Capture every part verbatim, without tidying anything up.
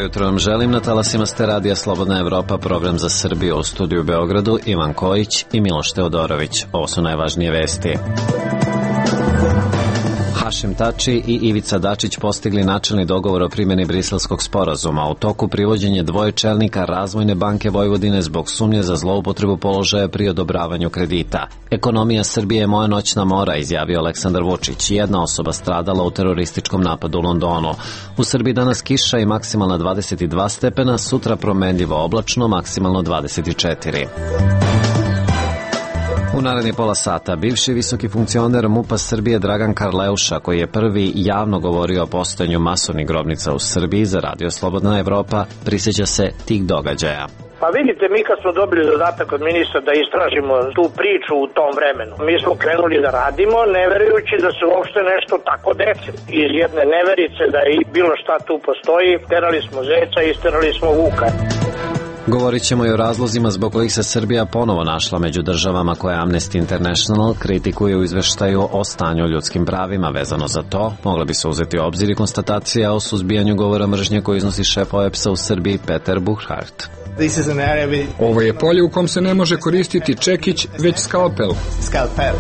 Dobro jutro vam želim. Na talasima ste radija Slobodna Evropa, program za Srbiju, u studiju u Beogradu Ivan Kojić i Miloš Teodorović. Ovo su najvažnije vesti. Hašim Tači i Ivica Dačić postigli načelni dogovor o primjeni Briselskog sporazuma. U toku privođenje dvoje čelnika Razvojne banke Vojvodine zbog sumnje za zloupotrebu položaja pri odobravanju kredita. Ekonomija Srbije je moja noćna mora, izjavio Aleksandar Vučić. Jedna osoba stradala u terorističkom napadu u Londonu. U Srbiji danas kiša i maksimalna dvadeset dva stepena, sutra promenljivo oblačno, maksimalno dvadeset četiri. U naredni pola sata bivši visoki funkcioner MUP-a Srbije Dragan Karleuša, koji je prvi javno govorio o postojanju masovnih grobnica u Srbiji za Radio Slobodna Evropa, prisjeća se tih događaja. Pa vidite, mi kad smo dobili zadatak od ministra da istražimo tu priču u tom vremenu, mi smo krenuli da radimo, ne verujući da se uopšte nešto tako desi. Iz jedne neverice da i bilo šta tu postoji, terali smo zeca i isterali smo vuka. Govorit ćemo i o razlozima zbog kojih se Srbija ponovo našla među državama koje Amnesty International kritikuje u izveštaju o stanju ljudskim pravima. Vezano za to, mogla bi se uzeti u obzir i konstatacija o suzbijanju govora mržnje koju iznosi šef O E P S-a u Srbiji Peter Buchart. Ovo je polje u kom se ne može koristiti čekić, već skalpel. Skalpel.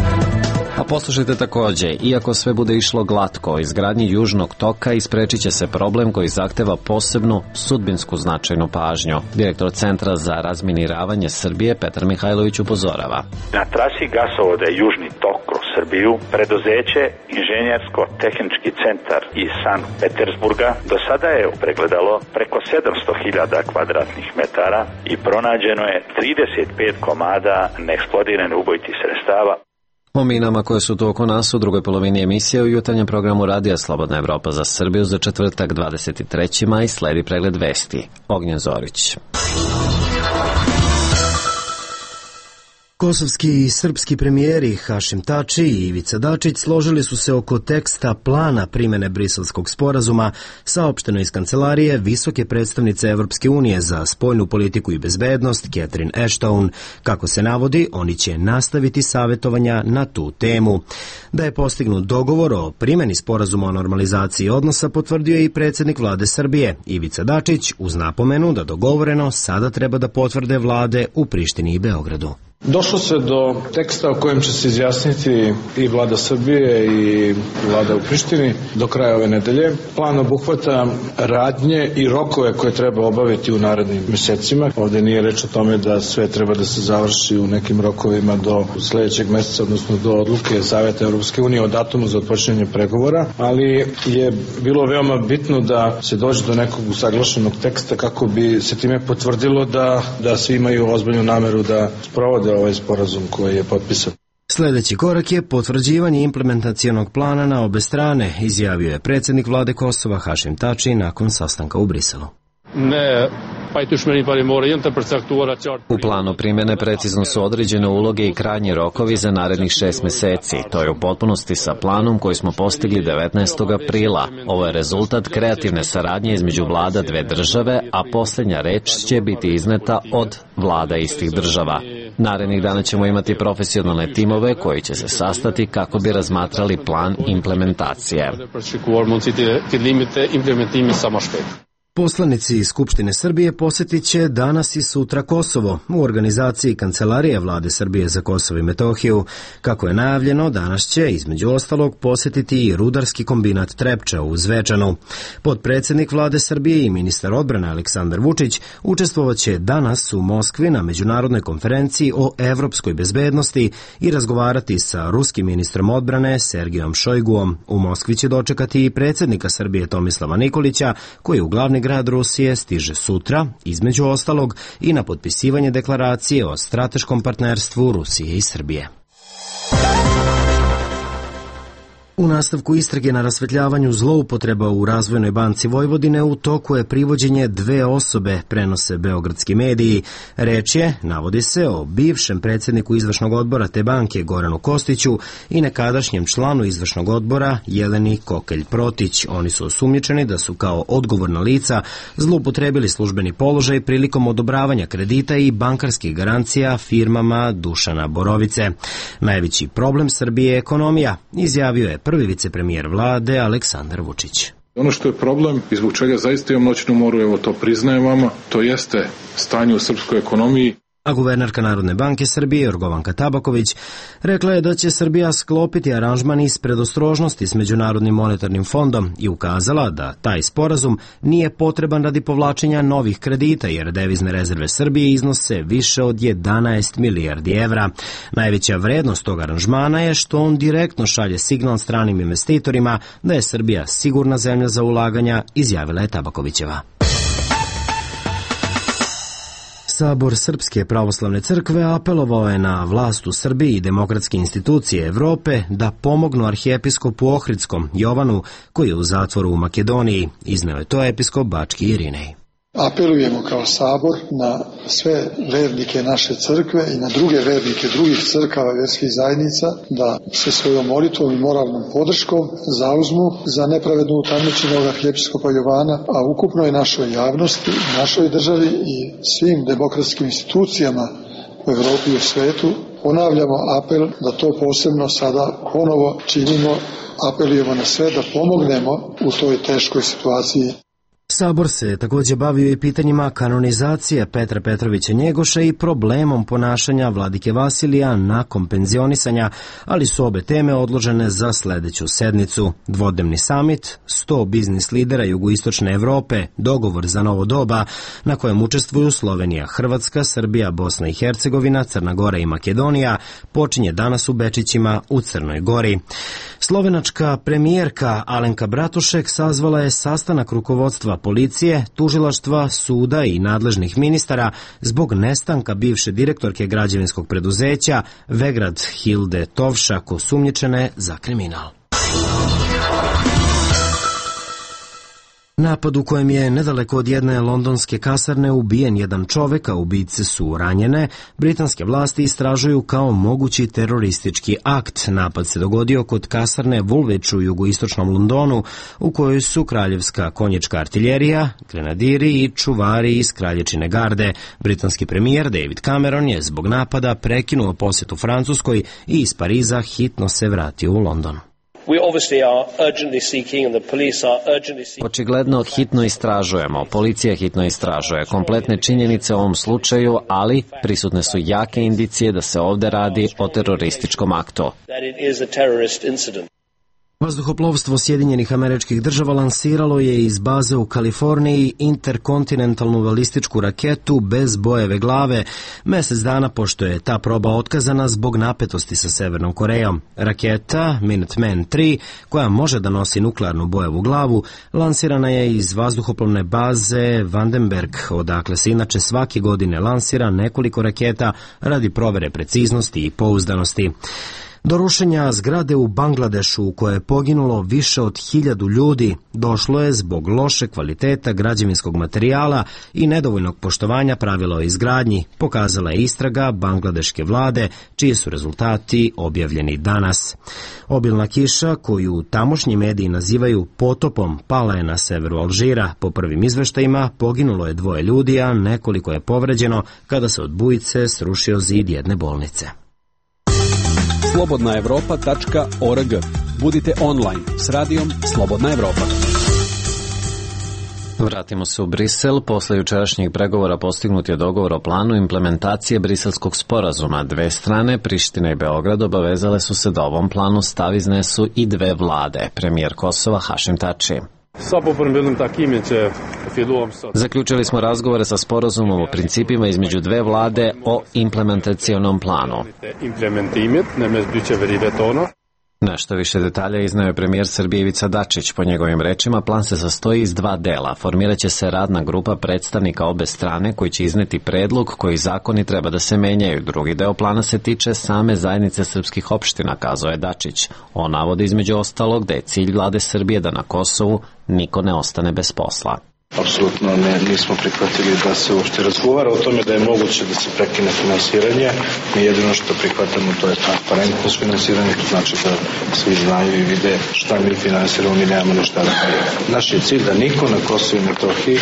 A poslušajte takođe, iako sve bude išlo glatko, izgradnji Južnog toka isprečit će se problem koji zahteva posebnu sudbinsku značajnu pažnju. Direktor Centra za razminiravanje Srbije Petar Mihajlović upozorava. Na trasi gasovoda Južni tok kroz Srbiju, preduzeće Inženjersko-tehnički centar iz Sankt Petersburga do sada je pregledalo preko sedamsto hiljada kvadratnih metara i pronađeno je trideset pet komada neeksplodiranih ubojitih sredstava. O minama koje su tu oko nas u drugoj polovini emisije u jutarnjem programu Radija Slobodna Evropa za Srbiju za četvrtak dvadeset treći maj sledi pregled vesti. Ognjen Zorić. Kosovski i srpski premijeri Hašim Tači i Ivica Dačić složili su se oko teksta plana primene Briselskog sporazuma, saopšteno iz kancelarije visoke predstavnice Evropske unije za spoljnu politiku i bezbednost Catherine Ashton. Kako se navodi, oni će nastaviti savjetovanja na tu temu. Da je postignut dogovor o primeni sporazuma o normalizaciji odnosa potvrdio je i predsjednik vlade Srbije Ivica Dačić, uz napomenu da dogovoreno sada treba da potvrde vlade u Prištini i Beogradu. Došlo se do teksta o kojem će se izjasniti i vlada Srbije i vlada u Prištini do kraja ove nedelje. Plan obuhvata radnje i rokove koje treba obaviti u narednim mesecima. Ovdje nije reč o tome da sve treba da se završi u nekim rokovima do sljedećeg meseca, odnosno do odluke Saveta Evropske unije o datumu za otpočinjanje pregovora, ali je bilo veoma bitno da se dođe do nekog usaglašenog teksta kako bi se time potvrdilo da, da svi imaju ozbiljnu nameru da sprovode ovaj sporazum koji je potpisan. Sljedeći korak je potvrđivanje implementacionog plana na obe strane, izjavio je predsjednik vlade Kosova Hašim Tači nakon sastanka u Briselu. Ne, U planu primjene precizno su određene uloge i krajnji rokovi za narednih šest meseci. To je u potpunosti sa planom koji smo postigli devetnaestog aprila. Ovo je rezultat kreativne saradnje između vlada dve države, a posljednja reč će biti izneta od vlada istih država. Narednih dana ćemo imati profesionalne timove koji će se sastati kako bi razmatrali plan implementacije. Poslanici iz Skupštine Srbije posjetit će danas i sutra Kosovo u organizaciji Kancelarije vlade Srbije za Kosovo i Metohiju. Kako je najavljeno, danas će između ostalog posjetiti i rudarski kombinat Trepča u Zvečanu. Potpredsjednik vlade Srbije i ministar odbrane Aleksandar Vučić učestvovaće danas u Moskvi na međunarodnoj konferenciji o evropskoj bezbednosti i razgovarati sa ruskim ministrom odbrane Sergijom Šojguom. U Moskvi će dočekati i predsjednika Srbije Tomislava Nikolića, koji u glavni grad Rusije stiže sutra, između ostalog i na potpisivanje deklaracije o strateškom partnerstvu Rusije i Srbije. U nastavku istrage na rasvetljavanju zloupotreba u Razvojnoj banci Vojvodine u toku je privođenje dve osobe, prenose beogradski mediji. Reč je, navodi se, o bivšem predsjedniku izvršnog odbora te banke Goranu Kostiću i nekadašnjem članu izvršnog odbora Jeleni Kokelj-Protić. Oni su osumnjičeni da su kao odgovorna lica zloupotrebili službeni položaj prilikom odobravanja kredita i bankarskih garancija firmama Dušana Borovice. Najveći problem Srbije je ekonomija, izjavio je prvi vicepremijer vlade Aleksandar Vučić. Ono što je problem i zbog čega zaista imam noćnu moru, evo to priznajem vama, to jeste stanje u srpskoj ekonomiji. A guvernerka Narodne banke Srbije Jorgovanka Tabaković rekla je da će Srbija sklopiti aranžman iz predostrožnosti s Međunarodnim monetarnim fondom i ukazala da taj sporazum nije potreban radi povlačenja novih kredita jer devizne rezerve Srbije iznose više od jedanaest milijardi evra. Najveća vrednost tog aranžmana je što on direktno šalje signal stranim investitorima da je Srbija sigurna zemlja za ulaganja, izjavila je Tabakovićeva. Sabor Srpske pravoslavne crkve apelovao je na vlast u Srbiji i demokratske institucije Evrope da pomognu arhijepiskopu Ohridskom Jovanu, koji je u zatvoru u Makedoniji, izneo je to episkop Bački Irinej. Apelujemo kao sabor na sve vernike naše crkve i na druge vernike drugih crkava i vjerskih zajednica da se svojom molitvom i moralnom podrškom zauzmu za nepravedno utamničenog arhijepiskopa Jovana, a ukupnoj našoj javnosti, našoj državi i svim demokratskim institucijama u Evropi i u svetu. Ponavljamo apel da to posebno sada ponovo činimo, apelujemo na sve da pomognemo u toj teškoj situaciji. Sabor se također bavio i pitanjima kanonizacije Petra Petrovića Njegoša i problemom ponašanja vladike Vasilija nakon penzionisanja, ali su obe teme odložene za sledeću sednicu. Dvodnevni samit, sto biznis lidera jugoistočne Evrope, dogovor za novo doba, na kojem učestvuju Slovenija, Hrvatska, Srbija, Bosna i Hercegovina, Crna Gora i Makedonija, počinje danas u Bečićima u Crnoj Gori. Slovenačka premijerka Alenka Bratušek sazvala je sastanak rukovodstva policije, tužilaštva, suda i nadležnih ministara zbog nestanka bivše direktorke građevinskog preduzeća Vegrad Hilde Tovšak, osumnjičene za kriminal. Napad u kojem je nedaleko od jedne londonske kasarne ubijen jedan čovek, a ubice su ranjene, britanske vlasti istražuju kao mogući teroristički akt. Napad se dogodio kod kasarne Woolwich u jugoistočnom Londonu, u kojoj su kraljevska konjička artiljerija, grenadiri i čuvari iz kralječine garde. Britanski premijer David Cameron je zbog napada prekinuo posjetu Francuskoj i iz Pariza hitno se vratio u London. Očigledno hitno istražujemo, policija hitno istražuje kompletne činjenice o ovom slučaju, ali prisutne su jake indicije da se ovde radi o terorističkom aktu. Vazduhoplovstvo Sjedinjenih Američkih Država lansiralo je iz baze u Kaliforniji interkontinentalnu balističku raketu bez bojeve glave, mesec dana pošto je ta proba otkazana zbog napetosti sa Severnom Korejom. Raketa Minuteman tri, koja može da nosi nuklearnu bojevu glavu, lansirana je iz vazduhoplovne baze Vandenberg, odakle se inače svake godine lansira nekoliko raketa radi provere preciznosti i pouzdanosti. Do rušenja zgrade u Bangladešu u kojoj je poginulo više od hiljadu ljudi došlo je zbog loše kvaliteta građevinskog materijala i nedovoljnog poštovanja pravila o izgradnji, pokazala je istraga bangladeške vlade, čiji su rezultati objavljeni danas. Obilna kiša, koju tamošnji mediji nazivaju potopom, pala je na severu Alžira. Po prvim izveštajima poginulo je dvoje ljudi, a nekoliko je povređeno kada se od bujice srušio zid jedne bolnice. slobodna evropa tačka org. Budite online s radijom Slobodna Evropa. Vratimo se u Brisel. Posle jučerašnjih pregovora postignut je dogovor o planu implementacije briselskog sporazuma. Dve strane, Priština i Beograd, obavezale su se da ovom planu stav iznesu i dve vlade. Premijer Kosova Hašim Tači. Zaključili smo razgovore sa sporazumom o principima između dve vlade o implementacionom planu. Nešto više detalja izneo je premijer Srbije Ivica Dačić. Po njegovim rečima, plan se sastoji iz dva dela. Formiraće se radna grupa predstavnika obe strane koji će izneti predlog koji zakoni treba da se menjaju. Drugi deo plana se tiče same zajednice srpskih opština, kazao je Dačić. On navodi između ostalog da je cilj vlade Srbije da na Kosovu niko ne ostane bez posla. Apsolutno ne, nismo prihvatili da se uopšte razgovara o tome da je moguće da se prekine finansiranje. Mi jedino što prihvatamo to je transparentnost finansiranja, to znači da svi znaju i vide šta mi finansiramo, mi nemamo ništa da kažemo. Naš je cilj da niko na Kosovu i Metohiji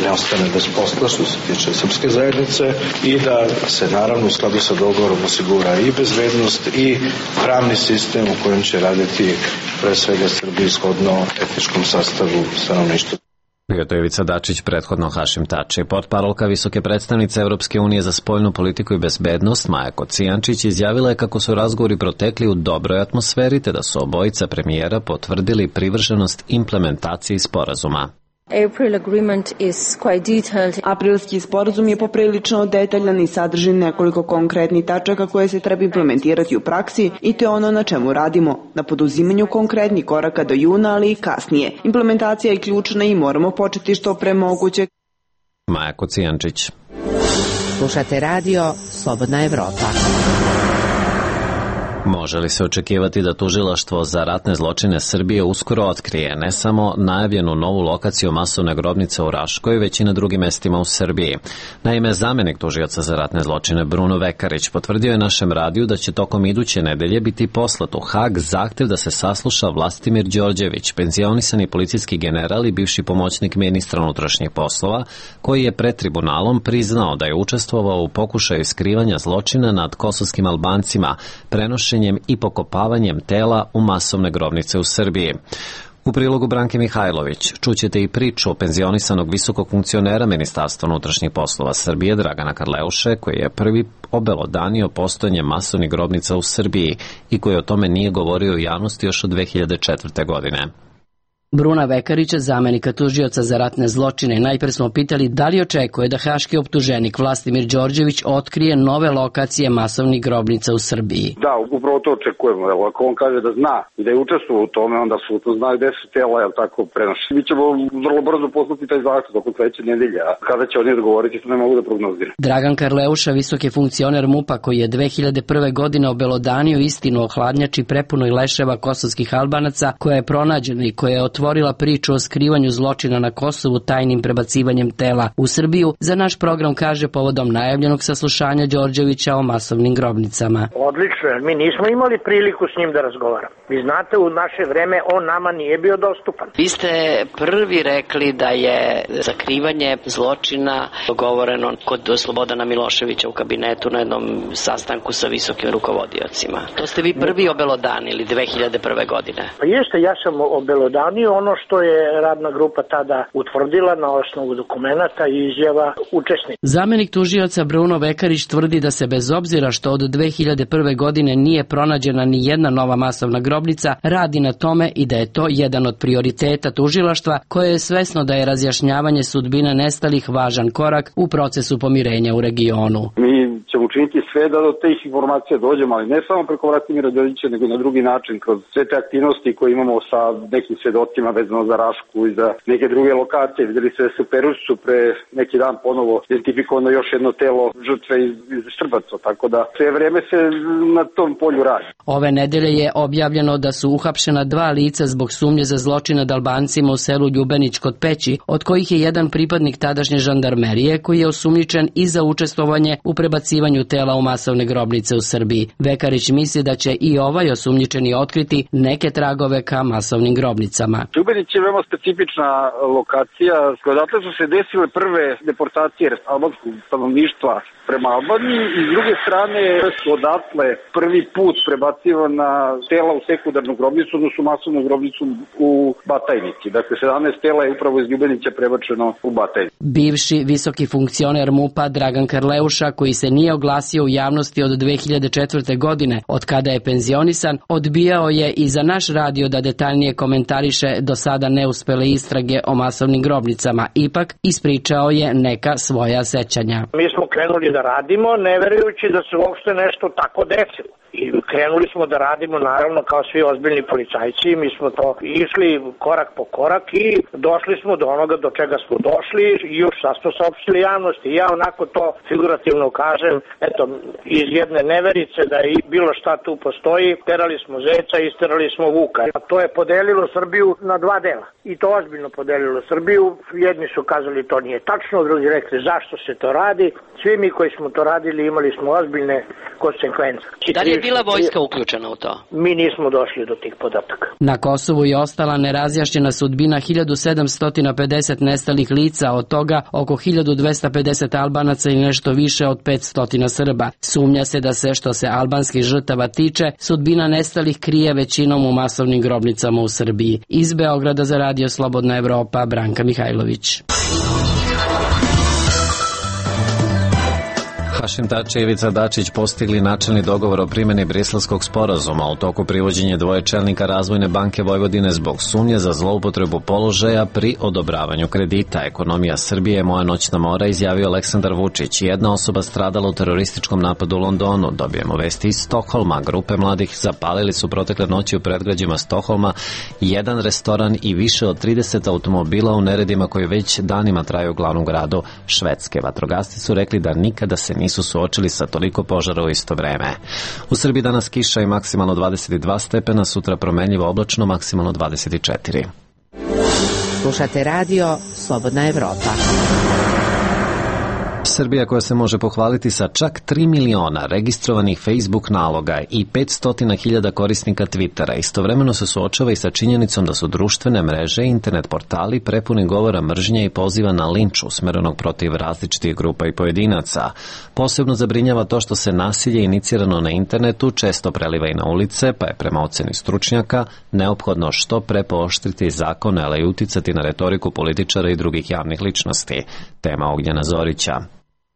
ne ostane bez posla što se tiče srpske zajednice i da se naravno u skladu sa dogovorom osigura i bezbednost i pravni sistem u kojem će raditi pre svega Srbiji shodno etničkom sastavu stanovništva. Bio to Ivica Dačić, prethodno Hašim Tači. Portparolka visoke predstavnice Europske unije za spoljnu politiku i bezbednost Maja Kocijančić izjavila je kako su razgovori protekli u dobroj atmosferi te da su obojica premijera potvrdili privrženost implementaciji sporazuma. Aprilski sporazum je poprilično detaljan i sadrži nekoliko konkretnih tačaka koje se treba implementirati u praksi i to je ono na čemu radimo, na poduzimanju konkretnih koraka do juna, ali i kasnije. Implementacija je ključna i moramo početi što pre moguće. Maja Kocijančić. Slušate radio Slobodna Evropa. Može li se očekivati da Tužilaštvo za ratne zločine Srbije uskoro otkrije ne samo najavljenu novu lokaciju masovne grobnice u Raškoj, već i na drugim mestima u Srbiji? Naime, zamenik tužioca za ratne zločine Bruno Vekarić potvrdio je našem radiju da će tokom iduće nedelje biti poslat u Hag zahtev da se sasluša Vlastimir Đorđević, penzionisani policijski general i bivši pomoćnik ministra unutrašnjih poslova, koji je pred tribunalom priznao da je učestvovao u pokušaju skrivanja zločina nad kosovskim Albancima, prenošenjem i pokopavanjem tela u masovne grobnice u Srbiji. U prilogu Branke Mihajlović čućete i priču o penzionisanog visokog funkcionera Ministarstva unutrašnjih poslova Srbije Dragana Karleuše, koji je prvi obelodanio postojanje masovnih grobnica u Srbiji i koji o tome nije govorio u javnosti još od dve hiljade četvrte. godine. Bruna Vekarića, zamenika tužioca za ratne zločine, najpre smo pitali da li očekuje da haški optuženik Vlastimir Đorđević otkrije nove lokacije masovnih grobnica u Srbiji. Da, upravo to očekujemo. Evo, ako on kaže da zna i da je učestvovao u tome, onda apsolutno zna gde su tela, jel tako, prenoši. Mi ćemo vrlo brzo poslati taj zahtev tokom sledeće nedelje, a kada će oni odgovoriti, to ne mogu da prognoziram. Dragan Karleuša, visoki funkcioner MUP-a koji je dve hiljade prve. godine obelodanio istinu o hladnjači prepunoj leševa kosovskih Albanaca, koja je pronađena i koja je otvorila priču o skrivanju zločina na Kosovu tajnim prebacivanjem tela u Srbiju, za naš program kaže povodom najavljenog saslušanja Đorđevića o masovnim grobnicama. Odlično, mi nismo imali priliku s njim da razgovaramo. Vi znate, u naše vreme on nama nije bio dostupan. Vi ste prvi rekli da je sakrivanje zločina dogovoreno kod Slobodana Miloševića u kabinetu na jednom sastanku sa visokim rukovodiocima. To ste vi prvi obelodanili dve hiljade prve. godine. Pa jeste, ja sam obelodanio ono što je radna grupa tada utvrdila na osnovu dokumenata i izjava učesnika. Zamenik tužioca Bruno Vekarić tvrdi da se bez obzira što od dve hiljade prve. godine nije pronađena ni jedna nova masovna grobnica, radi na tome i da je to jedan od prioriteta tužilaštva koje je svesno da je razjašnjavanje sudbina nestalih važan korak u procesu pomirenja u regionu. Mi ćemo učiniti sve da do tih informacija dođemo, ali ne samo preko Vlastimira Đorđevića, nego na drugi način, kroz sve te aktivnosti koje imamo sa nekim svedocima vezano za Rašku i za neke druge lokacije. Videli se da se u Perušcu pre neki dan ponovo identifikovano još jedno telo žrtve iz, iz Štrbaca, tako da sve vreme se na tom polju radi. Ove nedelje je objavljeno da su uhapšena dva lica zbog sumnje za zločin nad Albancima u selu Ljubenić kod Peći, od kojih je jedan pripadnik tadašnje žandarmerije koji je osumnjičen i za učestvovanje u prebacivanju tela u masovne grobnice u Srbiji. Vekarić misli da će i ovaj osumnjičeni otkriti neke tragove ka masovnim grobnicama. Ljubenić je veoma specifična lokacija, odatle su se desile prve deportacije albanskog stanovništva prema Albaniji i s druge strane su odatle prvi put prebacivana tela u sekundarnu grobnicu, odnosno masovnu grobnicu u Batajnici. Dakle, sedamnaest tela je upravo iz Ljubenića prebačeno u Batajnici. Bivši visoki funkcioner MUP-a Dragan Karleuša, koji se nije oglasio u javnosti od dve hiljade četvrte. godine, od kada je penzionisan, odbijao je i za naš radio da detaljnije komentariše do sada neuspele istrage o masovnim grobnicama. Ipak, ispričao je neka svoja sećanja. Mi smo krenuli da radimo, ne verujući da se uopšte nešto tako desilo. I krenuli smo da radimo naravno kao svi ozbiljni policajci, mi smo to išli korak po korak i došli smo do onoga do čega smo došli i još sad smo saopštili javnosti. Ja onako to figurativno kažem, eto, iz jedne neverice da i bilo šta tu postoji, terali smo zeca, isterali smo vuka. A to je podelilo Srbiju na dva dela. I to ozbiljno podelilo Srbiju. Jedni su kazali to nije tačno, drugi rekli zašto se to radi. Svi mi koji smo to radili imali smo ozbiljne konsekvence. Da li je bila vojska uključena u to? Mi nismo došli do tih podataka. Na Kosovu je ostala nerazjašnjena sudbina hiljadu sedamsto pedeset nestalih lica, od toga oko hiljadu dvesta pedeset Albanaca i nešto više od petsto Srba. Sumnja se da se, što se albanskih žrtava tiče, sudbina nestalih krije većinom u masovnim grobnicama u Srbiji. Iz Beograda za Radio Slobodna Evropa, Branka Mihajlović. Hašim Tači i Ivica Dačić postigli načelni dogovor o primjeni Briselskog sporazuma u toku privođenja dvoje čelnika Razvojne banke Vojvodine zbog sumnje za zloupotrebu položaja pri odobravanju kredita. Ekonomija Srbije je moja noćna mora, izjavio Aleksandar Vučić. Jedna osoba stradala u terorističkom napadu u Londonu. Dobijemo vesti iz Stokholma. Grupe mladih zapalili su protekle noći u predgrađima Stokholma jedan restoran i više od trideset automobila u neredima koji već danima traju u glavnom gradu Švedske. Vatrogasci su rekli da nikada se nisu suočili sa toliko požara u isto vreme. U Srbiji danas kiša i maksimalno dvadeset dva stepena, sutra promenljivo oblačno, maksimalno dvadeset četiri. Slušate radio Slobodna Evropa. Srbija, koja se može pohvaliti sa čak tri miliona registrovanih Facebook naloga i petsto hiljada korisnika Twittera, istovremeno se suočava i sa činjenicom da su društvene mreže i internet portali prepuni govora mržnje i poziva na linč usmerenog protiv različitih grupa i pojedinaca. Posebno zabrinjava to što se nasilje inicirano na internetu često preliva i na ulice, pa je prema oceni stručnjaka neophodno što pre pooštriti zakone, ali i uticati na retoriku političara i drugih javnih ličnosti. Tema Ognjena Zorića.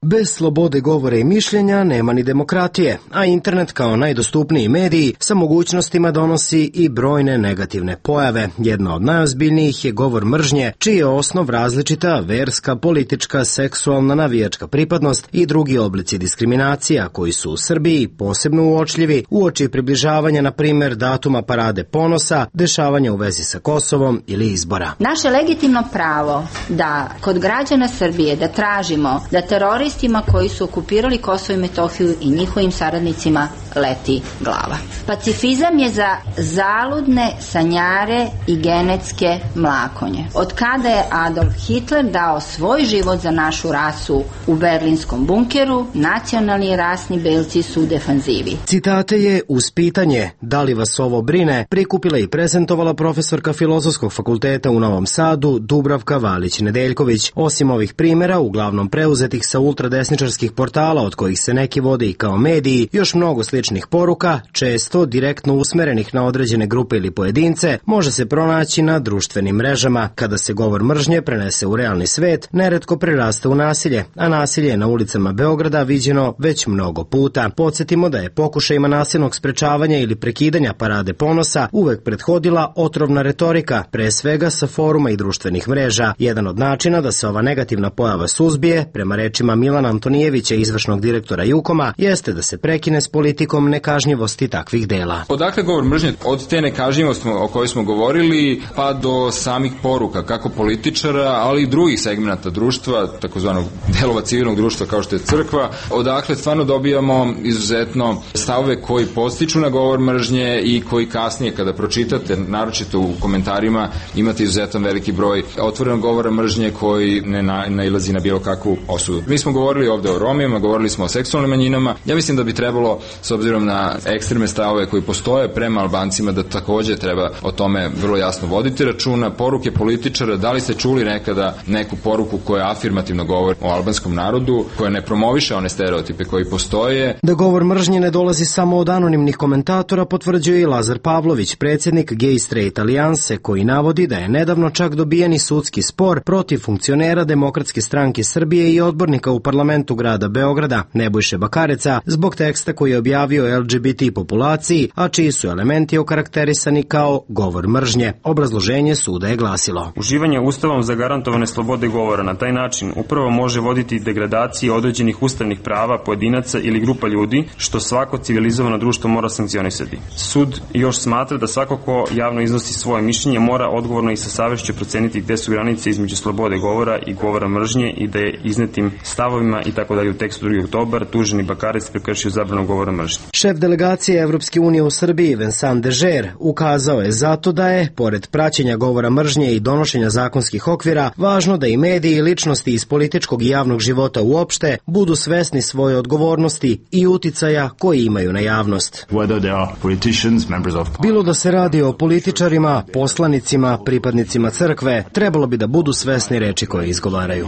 Bez slobode govora i mišljenja nema ni demokratije, a internet kao najdostupniji mediji sa mogućnostima donosi i brojne negativne pojave. Jedna od najozbiljnijih je govor mržnje, čiji je osnov različita verska, politička, seksualna, navijačka pripadnost i drugi oblici diskriminacija koji su u Srbiji posebno uočljivi uoči približavanja, na primjer, datuma Parade ponosa, dešavanja u vezi sa Kosovom ili izbora. Naše legitimno pravo da kod građana Srbije da tražimo da teroristi koji su okupirali Kosovo i Metohiju i njihovim saradnicima leti glava. Pacifizam je za zaludne sanjare i genetske mlakonje. Od kada je Adolf Hitler dao svoj život za našu rasu u berlinskom bunkeru, nacionalni i rasni belci su u defanzivi. Citate je uz pitanje da li vas ovo brine prikupila i prezentovala profesorka Filozofskog fakulteta u Novom Sadu Dubravka Valić-Nedeljković. Osim ovih primjera, uglavnom preuzetih sa ultradesničarskih portala od kojih se neki vode i kao mediji, još mnogo sličnih poruka, često direktno usmerenih na određene grupe ili pojedince, može se pronaći na društvenim mrežama. Kada se govor mržnje prenese u realni svet, neretko prerasta u nasilje, a nasilje je na ulicama Beograda viđeno već mnogo puta. Podsjetimo da je pokušajima nasilnog sprečavanja ili prekidanja Parade ponosa uvek prethodila otrovna retorika, pre svega sa foruma i društvenih mreža. Jedan od načina da se ova negativna pojava suzbije, prema rečima Milana Antonijevića, izvršnog direktora Jukoma, jeste da se prekine s politikom nekažnjivosti takvih dela. Odakle govor mržnje? Od te nekažnjivosti o kojoj smo govorili pa do samih poruka, kako političara, ali i drugih segmenta društva, takozvanog delova civilnog društva kao što je crkva, odakle stvarno dobijamo izuzetno stavove koji podstiču na govor mržnje i koji kasnije kada pročitate, naročito u komentarima, imate izuzetan veliki broj otvorenog govora mržnje koji ne nailazi na bilo kakvu osudu. Mi smo govorili ovde o Romima, govorili smo o seksualnim manjinama. Ja mislim da bi trebalo, s obzirom na ekstremne stavove koji postoje prema Albancima, da takođe treba o tome vrlo jasno voditi računa. Poruke političara, da li ste čuli nekada neku poruku koja afirmativno govori o albanskom narodu, koja ne promoviše one stereotipe koji postoje? Da govor mržnje ne dolazi samo od anonimnih komentatora potvrđuje i Lazar Pavlović, predsjednik Gay Straight Alijanse, koji navodi da je nedavno čak dobijeni sudski spor protiv funkcionera Demokratske stranke Srbije i odbornika u parlamentu grada Beograda, Nebojše Bakareca, zbog teksta koji je objavio el ge be te populaciji, a čiji su elementi okarakterisani kao govor mržnje. Obrazloženje suda je glasilo: uživanje ustavom zagarantovane slobode govora na taj način upravo može voditi degradaciji određenih ustavnih prava pojedinaca ili grupa ljudi, što svako civilizovano društvo mora sankcionisati. Sud još smatra da svako ko javno iznosi svoje mišljenje mora odgovorno i sa savešću proceniti gde su granice između slobode govora i govora mržnje i da je iznetim stavovima i tako dalje u tekstu drugi oktobar tuženi Bakarec prekršio zabranu govora mržnje. Šef delegacije Evropske unije u Srbiji Vincent Dežer ukazao je zato da je, pored praćenja govora mržnje i donošenja zakonskih okvira, važno da i mediji i ličnosti iz političkog i javnog života uopšte budu svesni svoje odgovornosti i uticaja koji imaju na javnost. Bilo da se radi o političarima, poslanicima, pripadnicima crkve, trebalo bi da budu svesni reči koje izgovaraju.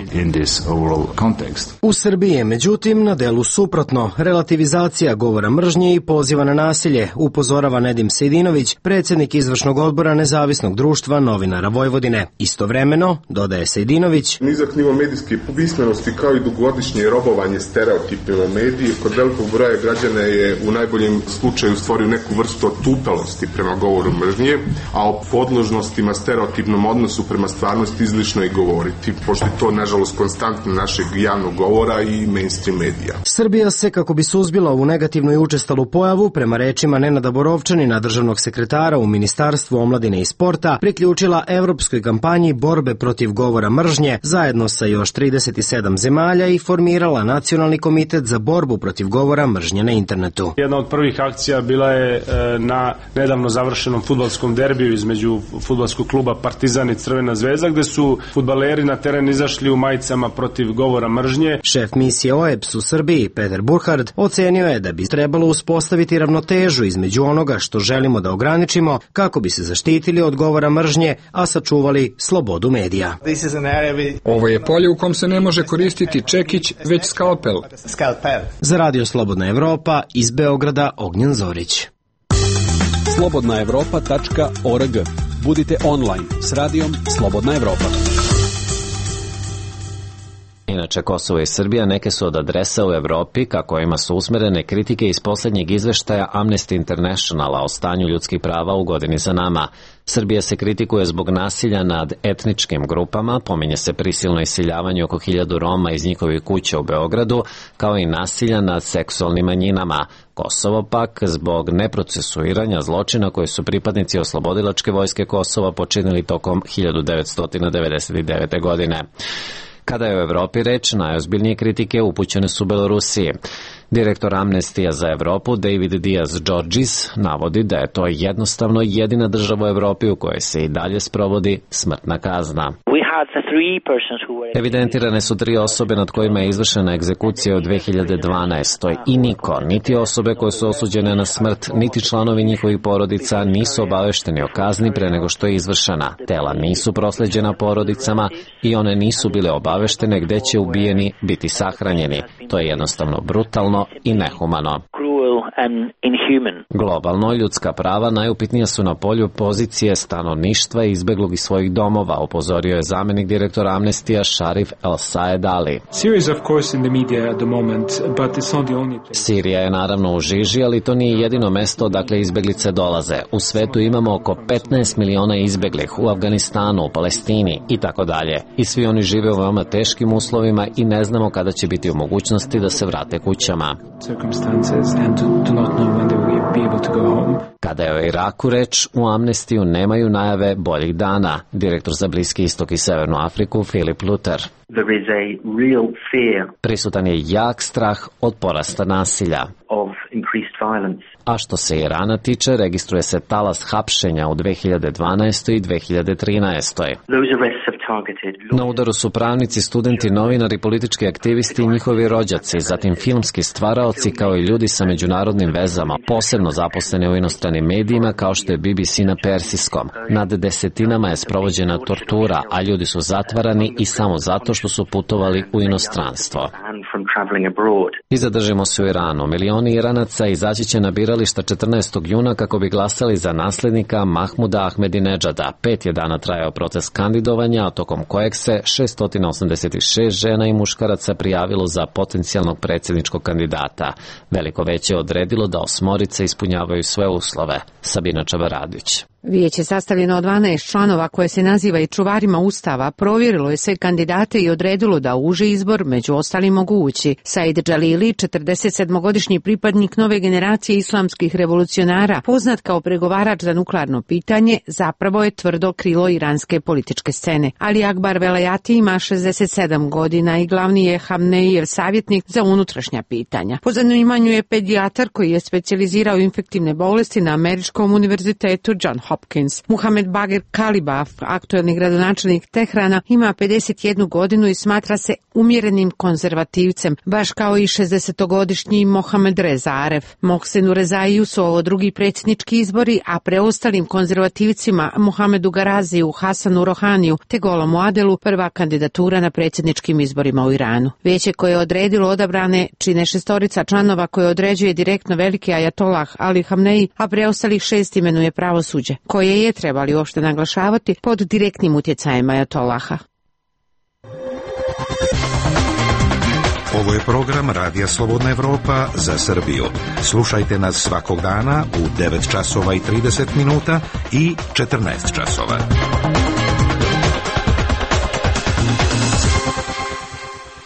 U Srbiji je, međutim, na delu suprotno. Relativizacija govora mržnje i poziva na nasilje, upozorava Nedim Sejdinović, predsjednik izvršnog odbora Nezavisnog društva novinara Vojvodine. Istovremeno, dodaje Sejdinović, nizak nivo medijske pismenosti kao i dugogodišnje robovanje stereotipima medije kod velikog broja građana je u najboljem slučaju stvorio neku vrstu otupelosti prema govoru mržnje, a o podložnostima stereotipnom odnosu prema stvarnosti izlišno je govoriti, pošto je to, nažalost, konstantno našeg javnog govora i mainstream medija. Srbija se, kako bi suzbila ovu negativnu i učestalu pojavu, prema rečima Nenada Borovčanina, državnog sekretara u Ministarstvu omladine i sporta, priključila evropskoj kampanji borbe protiv govora mržnje zajedno sa još trideset sedam zemalja i formirala Nacionalni komitet za borbu protiv govora mržnje na internetu. Jedna od prvih akcija bila je na nedavno završenom fudbalskom derbiju između fudbalskog kluba Partizan i Crvena zvezda, gde su fudbaleri na teren izašli u majicama protiv govora mržnje. Šef misije O E B S u Srbiji, Peter Burhard, ocenio je da bi trebalo uspostaviti ravnotežu između onoga što želimo da ograničimo kako bi se zaštitili od govora mržnje, a sačuvali slobodu medija. Ovo je polje u kom se ne može koristiti čekić, već skalpel. Za Radio Slobodna Evropa iz Beograda Ognjen Zorić. slobodna evropa tačka org. Budite online s radijom Slobodna Evropa. Inače, Kosovo i Srbija neke su od adresa u Evropi ka kojima su usmerene kritike iz poslednjeg izveštaja Amnesty Internationala o stanju ljudskih prava u godini za nama. Srbija se kritikuje zbog nasilja nad etničkim grupama, pominje se prisilno iseljavanje oko hiljadu Roma iz njihovih kuća u Beogradu, kao i nasilja nad seksualnim manjinama. Kosovo pak zbog neprocesuiranja zločina koje su pripadnici Oslobodilačke vojske Kosova počinili tokom hiljadu devetsto devedeset devete. godine. Kada je u Evropi reč, najozbiljnije kritike upućene su Belorusiji. Direktor Amnestija za Evropu David Diaz-Georgis navodi da je to jednostavno jedina država u Evropi u kojoj se i dalje sprovodi smrtna kazna. Evidentirane su tri osobe nad kojima je izvršena egzekucija u dve hiljade dvanaestoj. i niko, niti osobe koje su osuđene na smrt, niti članovi njihovih porodica nisu obavešteni o kazni pre nego što je izvršena. Tela nisu prosleđena porodicama i one nisu bile obaveštene gde će ubijeni biti sahranjeni. To je jednostavno brutalno i nehumano. Globalno, ljudska prava najupitnija su na polju pozicije stanovništva izbeglog iz svojih domova, upozorio je zamenik direktora Amnestija Sharif El-Saed Ali. Sirija je naravno u žiži, ali to nije jedino mesto odakle izbeglice dolaze. U svetu imamo oko petnaest miliona izbeglih, u Afganistanu, u Palestini i tako dalje. I svi oni žive u veoma teškim uslovima i ne znamo kada će biti u mogućnosti da se vrate kućama. Kada je o Iraku reč, u Amnestiju nemaju najave boljih dana. Direktor za Bliski istok i Severnu Afriku Filip Luter. Prisutan je jak strah od porasta nasilja. A što se Irana tiče, registruje se talas hapšenja u dve hiljade dvanaestoj i dve hiljade trinaestoj. Na udaru su pravnici, studenti, novinari, politički aktivisti i njihovi rođaci, zatim filmski stvaraoci kao i ljudi sa međunarodnim vezama, posebno zaposleni u inostranim medijima kao što je B B C na persijskom. Nad desetinama je sprovođena tortura, a ljudi su zatvarani i samo zato što su putovali u inostranstvo. from traveling abroad. I zadržimo se u Iranu. Milioni Iranaca izaći će na birališta četrnaestog juna kako bi glasali za naslednika Mahmuda Ahmedinedžada. Pet je dana trajao proces kandidovanja, a tokom kojeg se šesto osamdeset šest žena i muškaraca prijavilo za potencijalnog predsjedničkog kandidata. Veliko veće odredilo da osmorice ispunjavaju sve uslove. Sabina Čabaradić. Vijeće sastavljeno od dvanaest članova koje se naziva i čuvarima Ustava provjerilo je sve kandidate i odredilo da uži izbor među ostalim mogu ući Said Džalili, četrdesetsedmogodišnji pripadnik nove generacije islamskih revolucionara, poznat kao pregovarač za nuklearno pitanje, zapravo je tvrdo krilo iranske političke scene. Ali Akbar Velayati ima šezdeset sedam godina i glavni je Hamneijev savjetnik za unutrašnja pitanja. Po zanimanju je pedijatar koji je specijalizirao infektivne bolesti na Američkom univerzitetu John Hopkins. Muhamed Bagher Kalibaf, aktuelni gradonačelnik Tehrana, ima pedeset jednu godinu i smatra se umjerenim konzervativcem, baš kao i šezdesetogodišnji Mohamed Reza Aref. Mohsenu Rezaiju su ovo drugi predsjednički izbori, a preostalim konzervativcima Mohamedu Garaziju, Hasanu Rohaniju te Golomu Adelu prva kandidatura na predsjedničkim izborima u Iranu. Vijeće koje je odredilo odabrane čine šestorica članova koje određuje direktno veliki ajatolah Ali Hamneji, a preostalih šest imenuje pravosuđe, koje je, trebali uopšte naglašavati, pod direktnim utjecajem ajatolaha. Ovo je program Radija Slobodna Evropa za Srbiju. Slušajte nas svakog dana u devet časova i trideset minuta i četrnaest časova.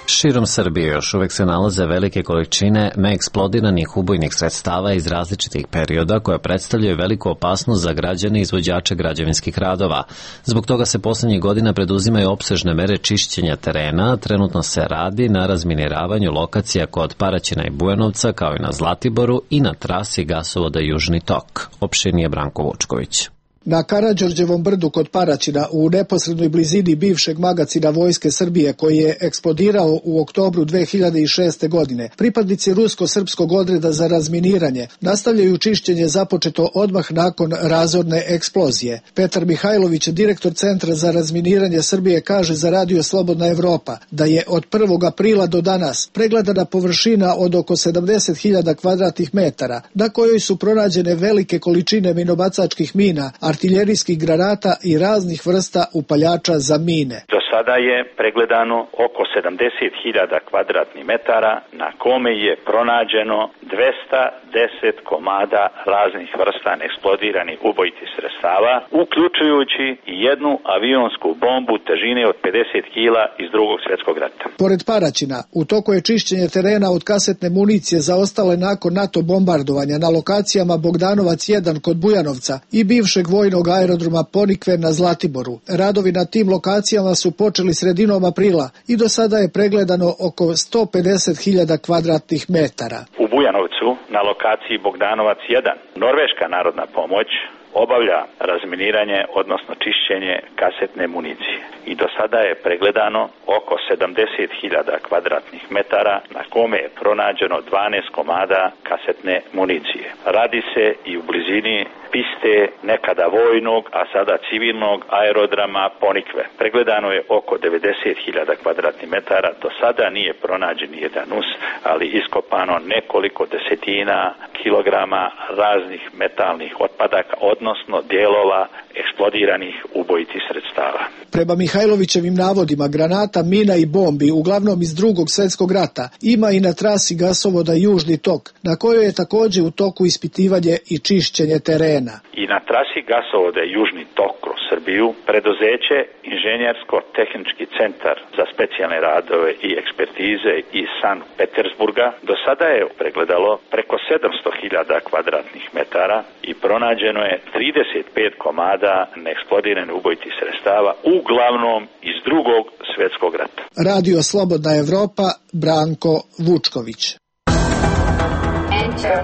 Širom Srbije još uvek se nalaze velike količine neeksplodiranih ubojnih sredstava iz različitih perioda koje predstavljaju veliku opasnost za građane i izvođače građevinskih radova. Zbog toga se poslednjih godina preduzimaju opsežne mere čišćenja terena. Trenutno se radi na razminiravanju lokacija kod Paraćina i Bujanovca, kao i na Zlatiboru i na trasi gasovoda Južni tok. Opširnije Branko Vučković. Na Karađorđevom brdu kod Paraćina, u neposrednoj blizini bivšeg magacina Vojske Srbije koji je eksplodirao u oktobru dve hiljade šeste. godine, pripadnici rusko-srpskog odreda za razminiranje nastavljaju čišćenje započeto odmah nakon razorne eksplozije. Petar Mihajlović, direktor Centra za razminiranje Srbije, kaže za Radio Slobodna Evropa da je od prvog aprila do danas pregledana površina od oko sedamdeset hiljada kvadratnih metara, na kojoj su pronađene velike količine minobacačkih mina, artiljerijskih granata i raznih vrsta upaljača za mine. Do sada je pregledano oko sedamdeset hiljada kvadratnih metara na kome je pronađeno dvesta deset komada raznih vrsta neeksplodiranih ubojitih sredstava, uključujući i jednu avionsku bombu težine od pedeset kila iz Drugog svjetskog rata. Pored Paraćina, u toku je čišćenje terena od kasetne municije zaostale nakon NATO bombardovanja na lokacijama Bogdanovac jedan kod Bujanovca i bivšeg vojnog aerodroma Ponikve na Zlatiboru. Radovi na tim lokacijama su počeli sredinom aprila i do sada je pregledano oko sto pedeset hiljada kvadratnih metara. U Bujanovcu na lokaciji Bogdanovac jedan Norveška narodna pomoć obavlja razminiranje, odnosno čišćenje kasetne municije. I do sada je pregledano oko sedamdeset hiljada kvadratnih metara na kome je pronađeno dvanaest komada kasetne municije. Radi se i u blizini piste nekada vojnog, a sada civilnog aerodroma Ponikve. Pregledano je oko devedeset hiljada kvadratnih metara. Do sada nije pronađen jedan us, ali iskopano nekoliko desetina kilograma raznih metalnih otpadaka, odnosno dijelova eksplodiranih ubojitih sredstava. Prema Mihajlovićevim navodima, granata, mina i bombi, uglavnom iz Drugog svjetskog rata, ima i na trasi gasovoda Južni tok, na kojoj je također u toku ispitivanje i čišćenje terena. I na trasi gasovoda Južni tok kroz Srbiju, preduzeće Inženjersko-tehnički centar za specijalne radove i ekspertize iz Sankt Petersburga do sada je pregledalo preko sedamsto hiljada kvadratnih metara i pronađeno je trideset pet komada neeksplodiranih ubojitih sredstava, uglavnom iz Drugog svjetskog rata. Radio Slobodna Evropa, Branko Vučković. Enter.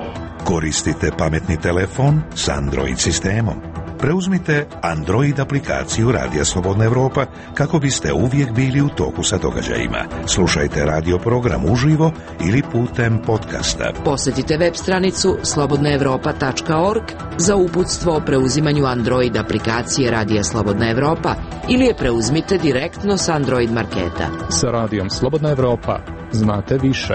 Koristite pametni telefon s Android sistemom. Preuzmite Android aplikaciju Radija Slobodna Evropa kako biste uvijek bili u toku sa događajima. Slušajte radio program uživo ili putem podcasta. Posjetite web stranicu slobodna evropa tačka org za uputstvo o preuzimanju Android aplikacije Radija Slobodna Evropa ili je preuzmite direktno s Android marketa. Sa Radijom Slobodna Evropa znate više.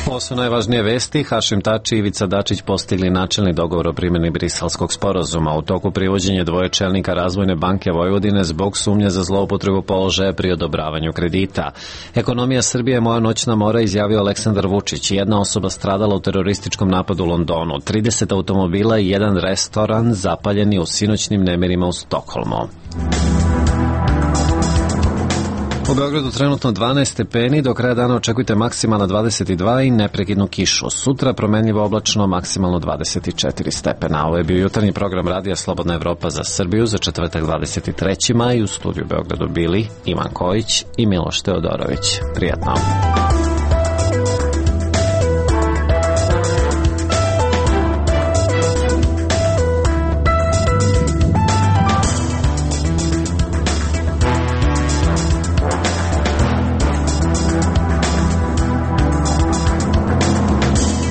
Ovo su najvažnije vesti. Hašim Tači i Ivica Dačić postigli načelni dogovor o primjeni Briselskog sporazuma. U toku privođenja dvoje čelnika Razvojne banke Vojvodine zbog sumnje za zloupotrebu položaja pri odobravanju kredita. Ekonomija Srbije je moja noćna mora, izjavio Aleksandar Vučić. Jedna osoba stradala u terorističkom napadu u Londonu. trideset automobila i jedan restoran zapaljeni u sinoćnim nemirima u Stokholmu. U Beogradu trenutno dvanaest stepeni, do kraja dana očekujte maksimalno dvadeset dva i neprekidnu kišu. Sutra promenljivo oblačno, maksimalno dvadeset četiri stepena. Ovo je bio jutarnji program Radija Slobodna Evropa za Srbiju za četvrtak dvadeset treći maj. U studiju Beogradu bili Ivan Kojić i Miloš Teodorović. Prijatno.